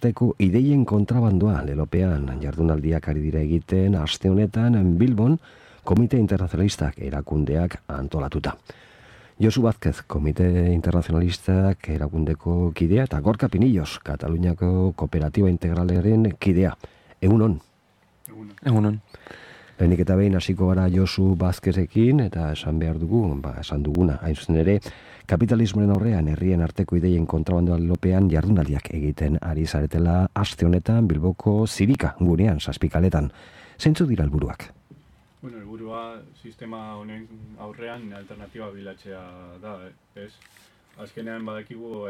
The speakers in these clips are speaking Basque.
arteko ideien kontrabandoa lelopean jardunaldiak ari dira egiten aste honetan Bilbon Komite Internazionalistak erakundeak antolatuta. Josu Vázquez, Komite Internazionalistak erakundeko kidea eta Gorka Pinillos, Kataluniako Kooperatiba Integralaren kidea. Egunon? Egunon. Lehenik eta behin hasiko gara Josu Vázquezekin eta esan behar dugu, esan duguna, hain zuzen ere, kapitalismoaren aurrean herrien arteko ideien kontrabandoa lelopean jardunaldiak egiten ari zaretela aste honetan Bilboko Zirika gunean, Zazpikaletan. Zeintzuk dira helburuak? Bueno, helburua sistema honen aurrean alternatiba bilatzea da, ez? Azkenean badakigu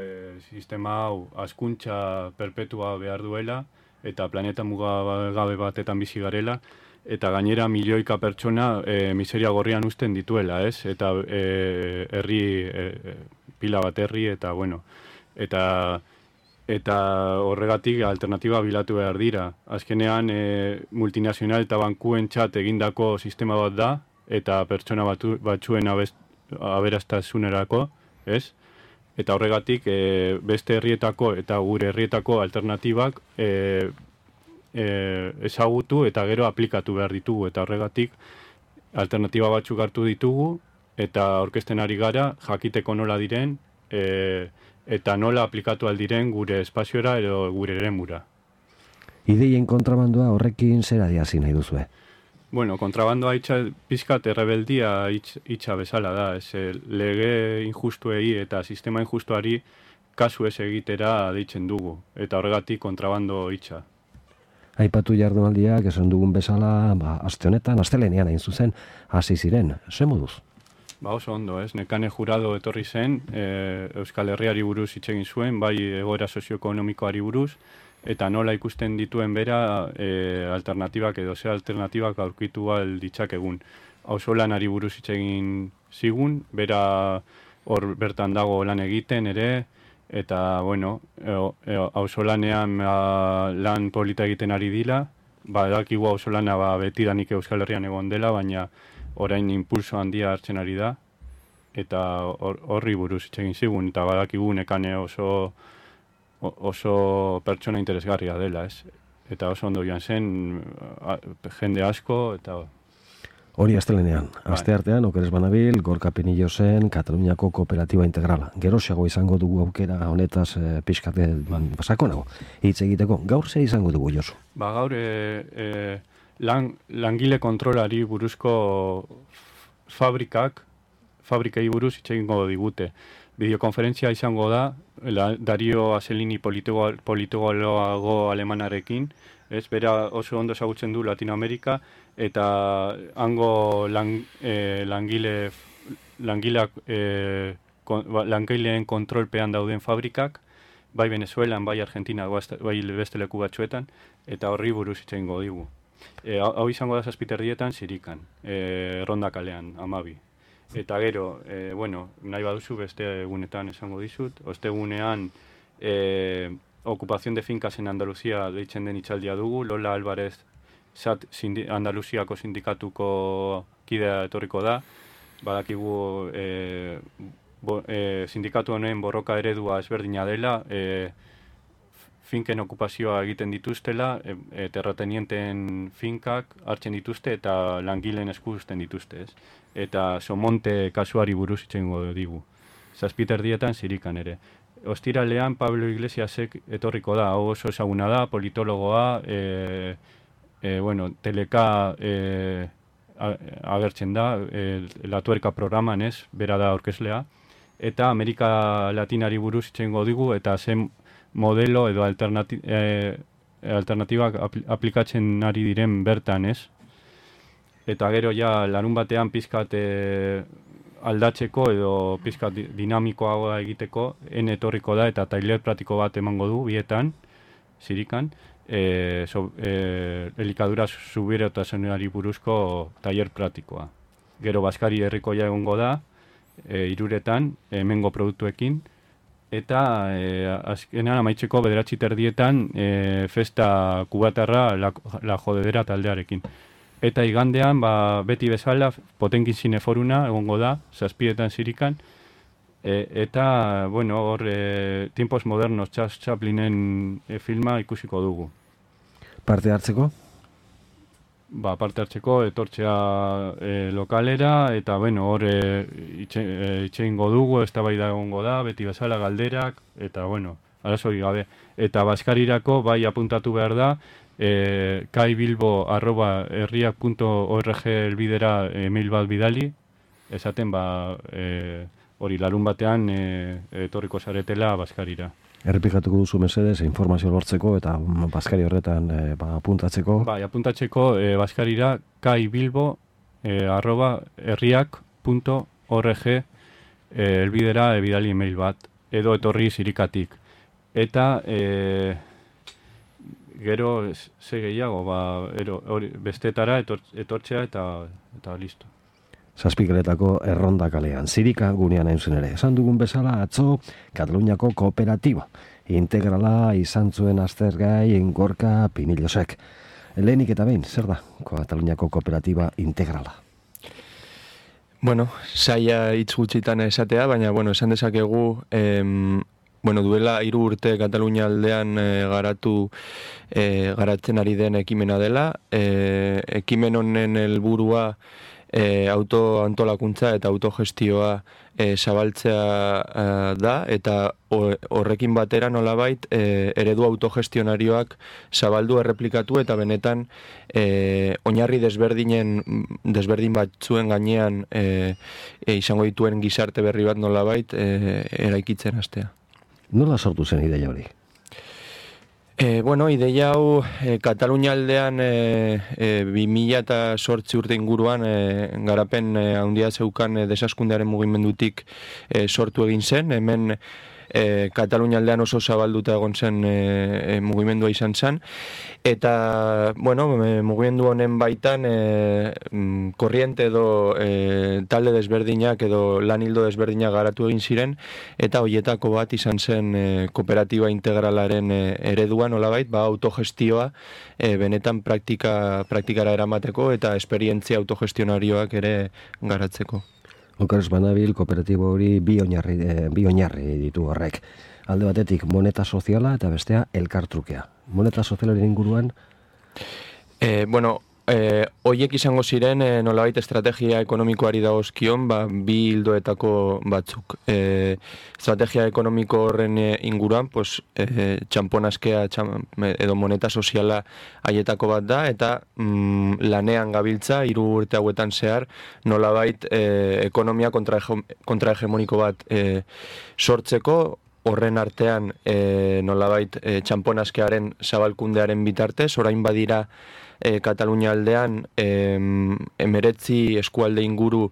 sistema hau hazkuntza perpetua behar duela eta planeta mugagabe batetan bizi garela eta gainera milioika pertsona miseria gorrian uzten dituela, ez? Eta herri pila bat herri eta bueno, eta horregatik alternatiba bilatu behar dira. Azkenean multinazional eta bankuentzat egindako sistema bat da eta pertsona batzuen aberastasunerako, ez? Eta horregatik beste herrietako eta gure herrietako alternatibak ezagutu eta gero aplikatu behar ditugu eta horregatik alternatiba batzuk hartu ditugu eta aurkezten ari gara jakiteko nola diren eta nola aplikatu aldiren gure espaziora edo gure eremura. Ideien kontrabandoa horrekin zer adierazi nahi duzue? Bueno, kontrabandoa pizkat errebeldia hitza bezala da, lege injustuei eta sistema injustuari kasu ez egitera deitzen dugu, eta horregatik kontrabando hitza. Aipatu jardunaldiak esan dugun bezala, aste honetan, astelehenean hain zuzen, hasi ziren, ze moduz? Oso ondo, ez? Nekane Jurado etorri zen, Euskal Herriari buruz hitz egin zuen, bai egoera sozioekonomikoari buruz, eta nola ikusten dituen bera alternatibak edo ze alternatibak aurkitu ditzakegun. Auzolanari buruz hitz egin zigun, bera hor bertan dago lan egiten ere, eta bueno, auzolanean lan polita egiten ari dira, badakigu auzolana betidanik Euskal Herrian egon dela, baina orain impulso handia hartzen ari da, eta horri buruz hitz egin zigun, eta badakigu Nekane oso pertsona interesgarria dela, ez? Eta oso ondo joan zen, jende asko, eta... Hori astelehenean, aste artean, okeres banabil, Gorka Pinillosen, Kataluniako Kooperatiba Integrala. Geroxeago izango dugu aukera honetaz pixkate sakonago hitz egiteko. Gaur ze izango dugu, Josu? Gaur langile kontrolari buruzko fabrikei buruz hitz egingo digute. Bideokonferentzia izango da, Dario Aselini politologo alemanarekin, ez, bera oso ondo ezagutzen du Latinoamerika, eta hango langileen kontrolpean dauden fabrikak, bai Venezuelan, bai Argentina, bai beste leku batzuetan, eta horri buruz hitz egingo digu. Hau izango da 7:30 Zirikan, Ronda kalean, 12. Eta gero, nahi baduzu beste egunetan esango dizut, ostegunean Ocupación de Fincas en Andalucía deitzen den hitzaldia dugu, Lola Álvarez Andaluziako sindikatuko kidea etorriko da, badakigu sindikatu honen borroka eredua ezberdina dela, finken okupazioa egiten dituztela, terratenienten finkak hartzen dituzte eta langileen esku uzten dituzte, ez? Eta Somonte kasuari buruz hitz egingo digu. 7:30 Zirikan ere. Ostiralean Pablo Iglesiasek etorriko da, hau oso ezaguna da, politologoa, teleka agertzen da, La Tuerca programan, ez, bera da aurkezlea, eta Amerika Latinari buruz hitz egingo digu, eta zen modelo edo alternatibak aplikatzen ari diren bertan, ez? Eta gero ja larun batean pizkat aldatzeko edo pizkat dinamikoagoa egiteko etorriko da eta tailer pratiko bat emango du bietan, Zirikan, elikadura subiranotasunari buruzko tailer pratikoa. Gero Baskari herrikoia egongo da, 3:00 hemengo produktuekin, eta azkenean amaitzeko 9:30 festa kubatarra la jodedera taldearekin. Eta igandean, beti bezala, Potenkin Zineforuna egongo da, 7:00 Zirikan, Eta, bueno, hor, Tiempos Modernos, Charles Chaplinen filma ikusiko dugu. Parte hartzeko? Parte hartzeko, etortzea lokalera, eta, bueno, hor itxeingo dugu, eztabaida egongo da, beti bezala galderak, eta, bueno, arazori gabe. Eta Baskarirako, bai apuntatu behar da, kaibilbo@herriak.org elbidera email bat bidali, esaten, hori larun batean etorriko zaretela Baskarira. Errepikatuko duzu mesedez, informazio lortzeko eta Baskari horretan apuntatzeko. Bai, apuntatzeko Baskarira kaibilbo@herriak.org elbidera bidali email bat, edo etorri Zirikatik. Eta gero ze gehiago, bestetara etortzea eta listo. Zazpikeletako Erronda kalean, Zirika gunean hain ere. Esan dugun bezala atzo Kataluniako kooperatiba integrala izan zuen aztergai Gorka Pinillosek. Lehenik eta behin, zer da Kataluniako kooperatiba integrala? Bueno, saia hitz gutxitan esatea, baina esan dezakegu duela 3 urte Katalunia aldean garatzen ari den ekimena dela. Ekimen honen helburua autoantolakuntza eta autogestioa zabaltzea da, eta horrekin batera nolabait eredu autogestionarioak zabaldu erreplikatu eta benetan oinarri desberdin batzuen gainean izango dituen gizarte berri bat nolabait eraikitzen hastea. Nola sortu zen ideia hori? Ideia hau Katalunia aldean 2008 urte inguruan garapen handia zeukan desaskundearen mugimendutik sortu egin zen. Hemen Katalunia aldean oso zabalduta egon zen mugimendua izan zen. Eta, mugimendu honen baitan korriente edo talde desberdinak edo lanildo desberdinak garatu egin ziren, eta hoietako bat izan zen kooperatiba integralaren eredua nolabait, autogestioa benetan praktikara eramateko eta esperientzia autogestionarioak ere garatzeko. Okeres banabil, kooperatibo hori bi oinarri ditu horrek. Alde batetik moneta soziala eta bestea elkartrukea. Moneta sozialaren inguruan? Hoiek izango ziren nolabait estrategia ekonomikoari dagozkion bi ildoetako batzuk. Estrategia ekonomiko horren inguruan, txamponaskea edo moneta soziala haietako bat da, eta lanean gabiltza 3 urte hauetan zehar nolabait ekonomia kontrahegemoniko bat sortzeko, horren artean nolabait txamponaskearen zabalkundearen bitartez, orain badira Katalunia aldean 19 eskualde inguru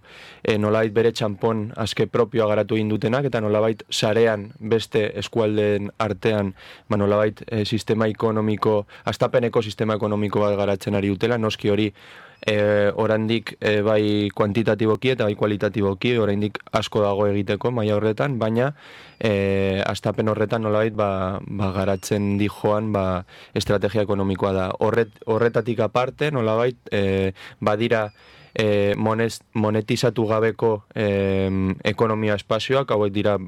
nolabait bere txampon aske propioa garatu egin dutenak, eta nolabait sarean beste eskualdeen artean nolabait sistema ekonomiko, astapeneko sistema ekonomiko bat garatzen ari dutela, noski hori oraindik bai kuantitatiboki eta bai kualitatiboki oraindik asko dago egiteko maila horretan, baina astapen horretan nolabait garatzen dijoan estrategia ekonomikoa da. Horretatik aparte nolabait badira monetizatu gabeko ekonomia espazioak, hauek dira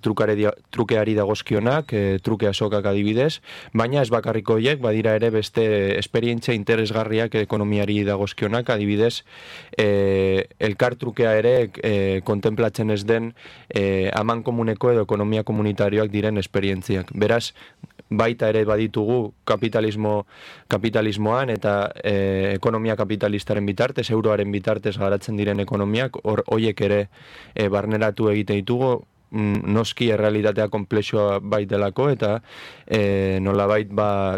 trukeari dagozkionak, truke azokak adibidez, baina ez bakarriko horiek, badira ere beste esperientzia interesgarriak ekonomiari dagozkionak, adibidez elkartrukea ere kontemplatzen ez den aman komuneko edo ekonomia komunitarioak diren esperientziak. Beraz, baita ere baditugu kapitalismoan eta ekonomia kapitalistaren bitartez, euroaren bitartez garatzen diren ekonomiak, horiek ere barneratu egite ditugu, noski errealitatea konplexua baitelako, eta nolabait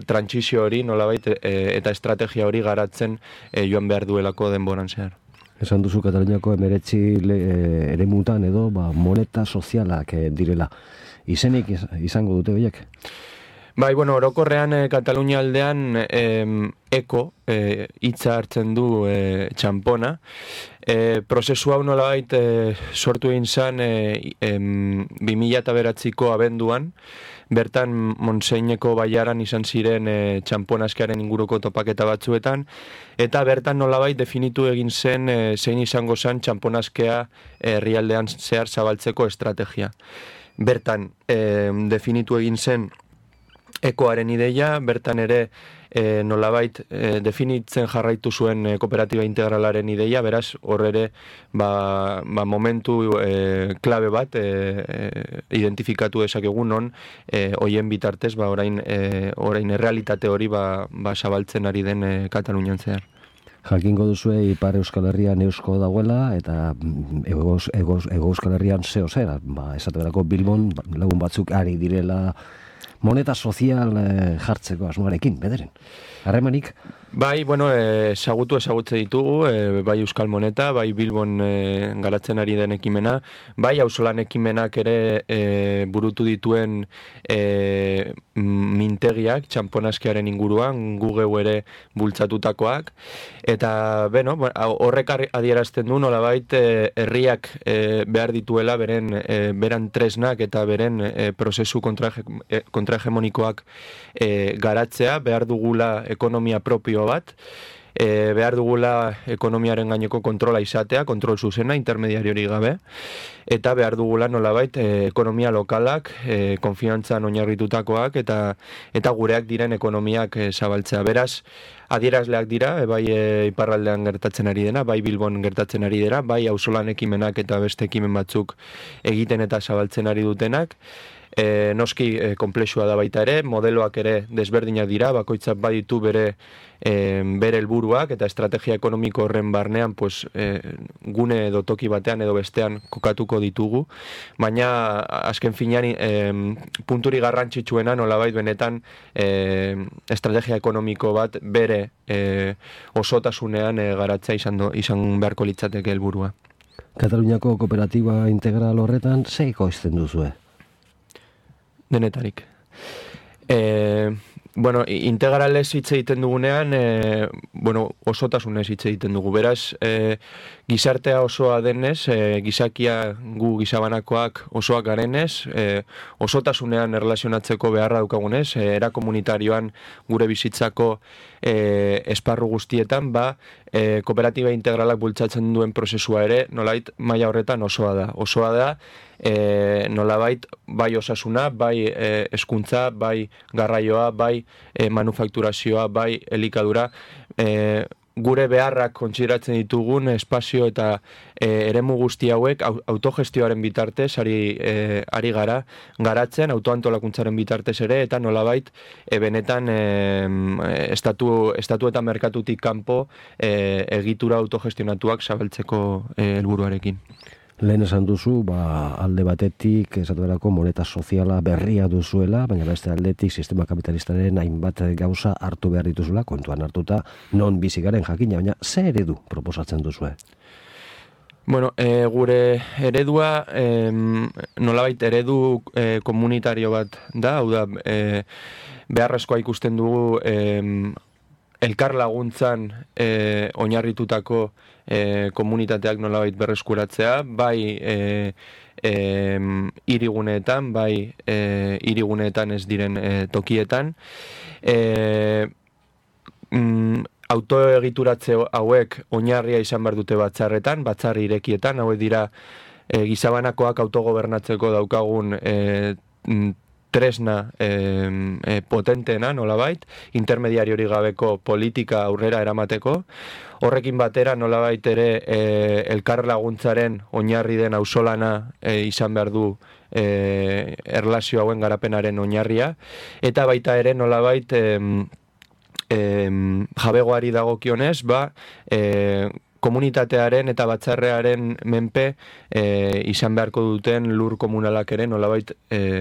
trantsizio hori nolabait eta estrategia hori garatzen joan behar duelako denboran zehar. Esan duzu Kataluniako 19 eremutan edo moneta sozialak direla. Izenik izango dute horiek? Orokorrean Katalunia aldean eko hitza hartzen du txampona. Prozesu hau nolabait sortu egin zen 2009ko abenduan, bertan Monseineko baiaran izan ziren txamponazkearen inguruko topaketa batzuetan, eta bertan nolabait definitu egin zen zein izango zen txamponazkea herrialdean zehar zabaltzeko estrategia. Bertan definitu egin zen ekoaren ideia, bertan ere nolabait definitzen jarraitu zuen kooperatiba integralaren ideia, beraz, hor ere momentu klabe bat identifikatu dezakegu non hoien bitartez orain errealitate hori zabaltzen ari den Katalunian zehar. Jakingo duzue Ipar Euskal Herrian eusko dagoela eta Ego Euskal Herrian zeo zer, esaterako Bilbon lagun batzuk ari direla moneta sozial jartzeko asmoarekin, bederen. Harremanik? Bai, ezagutze ditugu, bai Euskal Moneta, bai Bilbon garatzen ari den ekimena, bai auzolan ekimenak ere burutu dituen mintegiak, txamponazkearen inguruan, gugeu ere bultzatutakoak, eta horrek adierazten du nolabait herriak behar dituela beran tresnak eta beren prozesu kontrahegemonikoak garatzea, behar dugula ekonomia propio bat, behar dugula ekonomiaren gaineko kontrola izatea, kontrol zuzena, intermediariori gabe, eta behar dugula nolabait ekonomia lokalak, konfiantzan oinarritutakoak eta gureak diren ekonomiak zabaltzea. Beraz, adierazleak dira, bai iparraldean gertatzen ari dena, bai Bilbon gertatzen ari dena, bai auzolan ekimenak eta beste ekimen batzuk egiten eta zabaltzen ari dutenak. Noski konplexua da baita ere, modeloak ere desberdinak dira, bakoitzak baditu bere helburuak eta estrategia ekonomiko horren barnean gune edo toki batean edo bestean kokatuko ditugu, baina azken finean punturi garrantzitsuena nolabait benetan estrategia ekonomiko bat bere osotasunean garatzea izan beharko litzateke helburua. Kataluniako kooperatiba integral horretan ze ekoizten duzue? Denetarik. Integralez hitz egiten dugunean, osotasunez hitz egiten dugu. Beraz, gizartea osoa denez, gizakia gu gizabanakoak osoak garenez, osotasunean erlazionatzeko beharra daukagunez, era komunitarioan gure bizitzako esparru guztietan, kooperatiba integralak bultzatzen duen prozesua ere, nolait maila horretan osoa da. Osoa da, nolabait bai osasuna, bai hezkuntza, bai garraioa, bai manufakturazioa, bai elikadura, gure beharrak kontsideratzen ditugun espazio eta eremu guzti hauek autogestioaren bitartez ari gara garatzen, autoantolakuntzaren bitartez ere, eta nolabait benetan estatu eta merkatutik kanpo egitura autogestionatuak zabaltzeko helburuarekin. Lehen esan duzu, alde batetik esaterako moneta soziala berria duzuela, baina beste aldetik sistema kapitalistaren hainbat gauza hartu behar dituzula, kontuan hartuta non bizi garen jakina, baina ze eredu proposatzen duzue? Gure eredua nolabait eredu komunitario bat da, hau da, beharrezkoa ikusten dugu elkar laguntzan oinarritutako komunitateak nolabait berreskuratzea, bai hiriguneetan, bai hiriguneetan ez diren tokietan. Autoegituratze hauek oinarria izan behar dute batzar irekietan, hauek dira gizabanakoak autogobernatzeko daukagun tresna potenteena, nolabait, intermediariori gabeko politika aurrera eramateko. Horrekin batera nolabait ere elkar laguntzaren oinarri den auzolana izan behar du erlazio hauen garapenaren oinarria, eta baita ere nolabait jabegoari dagokionez, komunitatearen eta batzarrearen menpe izan beharko duten lur komunalak ere nolabait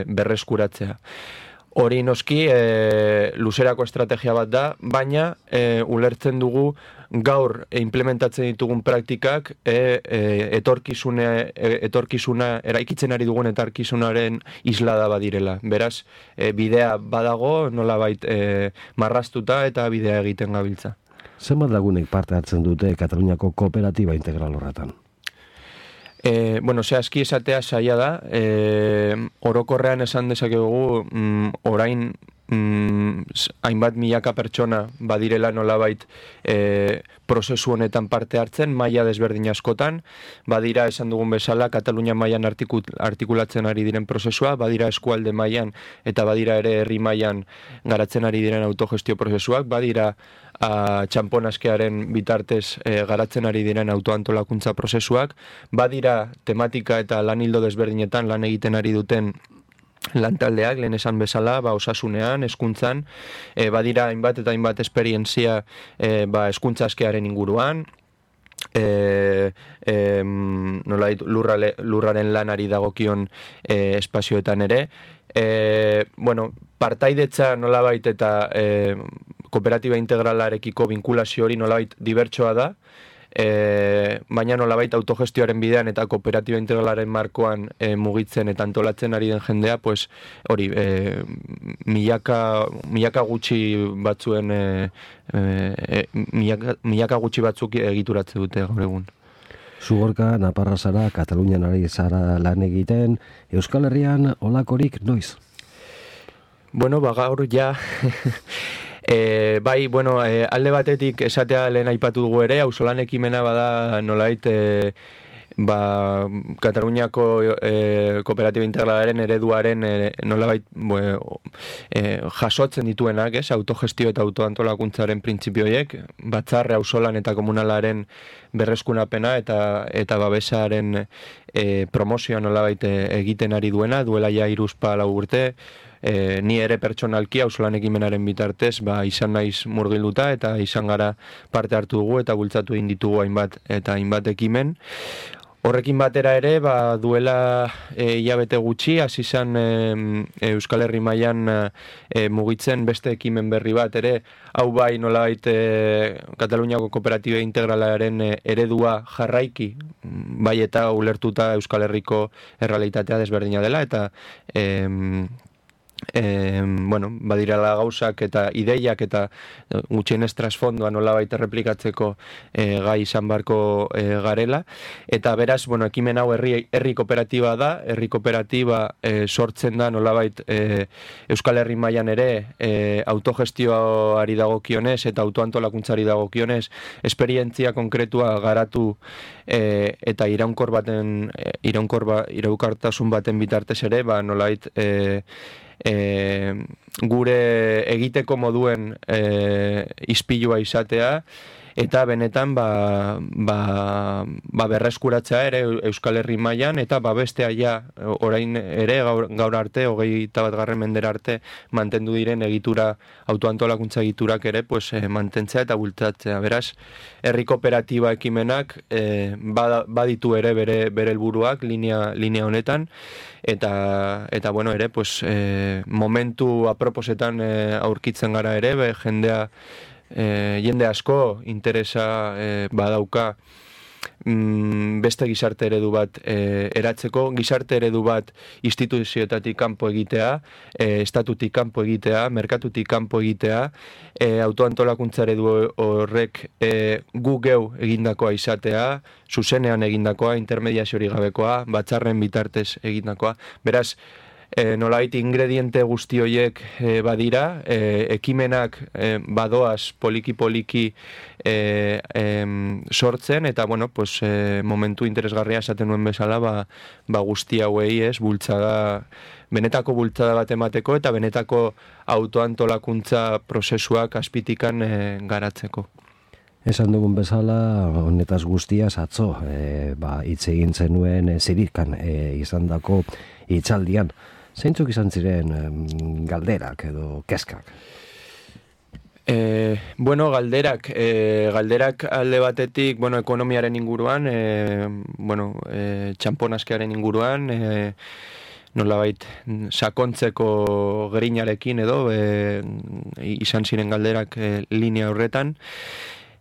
berreskuratzea. Hori noski luzerako estrategia bat da, baina ulertzen dugu gaur implementatzen ditugun praktikak etorkizuna eraikitzen ari dugun etorkizunaren islada badirela. Beraz, bidea badago nolabait marraztuta eta bidea egiten gabiltza. Zenbat lagunek parte hartzen dute Kataluniako kooperatiba integral horretan? Zehazki esatea zaila da, orokorrean esan dezakegu orain hainbat milaka pertsona badirela nolabait prozesu honetan parte hartzen, maila desberdin askotan, badira esan dugun bezala Katalunia mailan artikulatzen ari diren prozesua, badira eskualde mailan eta badira ere herri mailan garatzen ari diren autogestio prozesuak, badira txamponaskearen bitartez garatzen ari diren autoantolakuntza prozesuak, badira tematika eta lan hildo desberdinetan lan egiten ari duten lantaldeak, lehen esan bezala, osasunean, hezkuntzan, badira hainbat eta hainbat esperientzia hezkuntza askearen inguruan, lurraren lanari dagokion espazioetan ere. Partaidetza nolabait eta kooperatiba integralarekiko vinkulazio hori nolabait dibertsoa da, baina nolabait autogestioaren bidean eta kooperatiba integralaren markoan mugitzen eta antolatzen ari den jendea, pues hori, milaka gutxi batzuen milaka gutxi batzuk egituratze dute gaur egun. Zugorka, Naparra zara, Katalunian ari zara lan egiten, Euskal Herrian olakorik noiz? Gaur ja... alde batetik esatea lehen aipatu dugu ere, auzolan ekimena bada nolait Kataluniako kooperatiba integralaren ereduaren nolabait jasotzen dituenak, autogestio eta autoantolakuntzaren printzipioiek, batzarre auzolan eta komunalaren berreskunapena eta babesaren promozioa nolabait egiten ari duena, duela ja 3-4 urte, ni ere pertsonalki auzolan ekimenaren bitartez izan naiz murgilduta eta izan gara parte hartu dugu eta bultzatu egin ditugu hainbat ekimen. Horrekin batera ere, duela hilabete gutxi, hasi izan Euskal Herri mailan mugitzen beste ekimen berri bat ere, hau bai nolabait Kataluniako kooperatiba integralaren eredua jarraiki, bai eta ulertuta Euskal Herriko errealitatea desberdina dela, eta badirala gauzak eta ideiak eta gutxienez trasfondoa nolabait erreplikatzeko gai izan barko garela, eta beraz, ekimen hau herri kooperatiba da, herri kooperatiba sortzen da nolabait Euskal Herri mailan ere autogestioari dagokionez eta autoantolakuntzari dagokionez esperientzia konkretua garatu eta iraunkortasun baten bitartez ere, nolabait gure egiteko moduen ispilua izatea eta benetan berreskuratzea ere Euskal Herri mailan eta bestea ja orain ere gaur arte 21. mendera arte mantendu diren autoantolakuntza egiturak ere mantentzea eta bultzatzea. Beraz, herri kooperatiba ekimenak baditu ere bere helburuak linea honetan eta ere momentu aproposetan aurkitzen gara ere, jende asko interesa badauka beste gizarte eredu bat eratzeko, gizarte eredu bat instituzioetatik kanpo egitea, estatutik kanpo egitea, merkatutik kanpo egitea, autoantolakuntza eredu horrek gu geu egindakoa izatea, zuzenean egindakoa, intermediaziorik gabekoa, batzarren bitartez egindakoa. Beraz, nolabait ingrediente guzti horiek badira, ekimenak badoaz poliki-poliki sortzen, eta momentu interesgarria esaten nuen bezala guzti hauei benetako bultzada bat emateko eta benetako autoantolakuntza prozesuak azpitikan garatzeko. Esan dugun bezala, honetaz guztiaz atzo, hitz egin zenuen zirikan izandako hitzaldian. Zeintzuk izan ziren galderak edo kezkak? Galderak alde batetik, ekonomiaren inguruan, txamponaskearen inguruan, nolabait sakontzeko grinarekin edo izan ziren galderak linea horretan.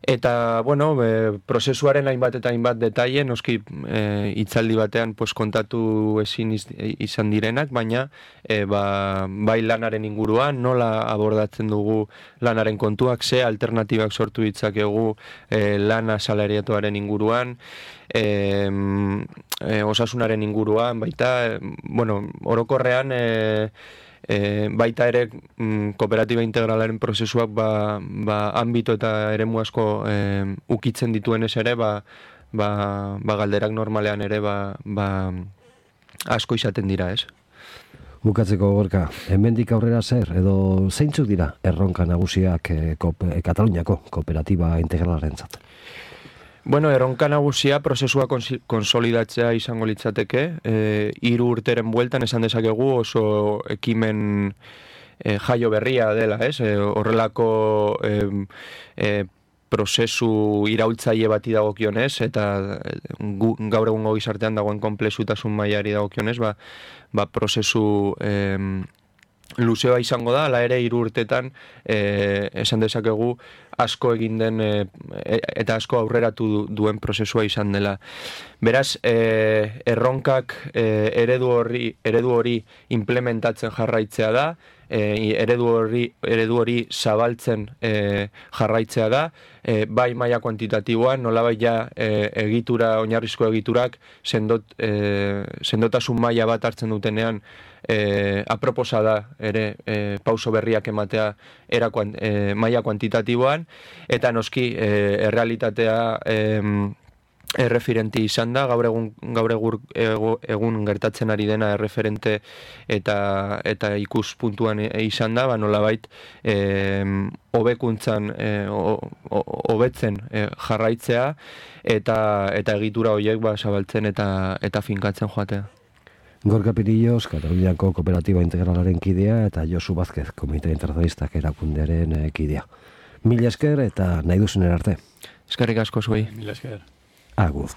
Eta, bueno, prozesuaren hainbat eta hainbat detaile, noski hitzaldi batean pues, kontatu ezin izan direnak, baina bai lanaren inguruan, nola abordatzen dugu lanaren kontuak, ze alternatibak sortu ditzakegu lana salariatuaren inguruan, osasunaren inguruan, baita, bueno, orokorrean baita ere kooperatiba integralaren prozesuak ambito eta eremu asko ukitzen dituenez ere galderak normalean ere asko izaten dira, ez? Bukatzeko Gorka, hemendik aurrera zer edo zeintzuk dira erronka nagusiak Kataluniako kooperatiba integralarentzat? Bueno, erronka nagusia prozesua konsolidatzea izango litzateke. 3 urteren bueltan esan dezakegu oso ekimen jaio berria dela, ez? Horrelako prozesu iraultzaile bati dagokionez eta gaur egungo gizartean dagoen konplexutasun mailari dagokionez, prozesu luzea izango da, ala ere 3 urtetan esan dezakegu asko egin den eta asko aurreratu duen prozesua izan dela. Beraz, erronkak eredu hori implementatzen jarraitzea da, eredu hori zabaltzen jarraitzea da, bai maila kuantitatiboan, nolabait ja egitura, oinarrizko egiturak sendotasun maila bat hartzen dutenean aproposa da ere pauso berriak ematea maila kuantitatiboan, eta noski errealitatea erreferenti izan da, gaur egun gertatzen ari dena erreferente eta ikuspuntuan izan da, nolabait hobekuntzan hobetzen jarraitzea eta egitura horiek zabaltzen eta finkatzen joatea. Gorka Pirillos, Kataluniako Kooperatiba Integralaren kidea eta Josu Vázquez, Komite Internacionalistak erakundearen kidea. Mila esker eta nahi duzunen arte. Eskerrik asko zuei. Mila esker. Agur.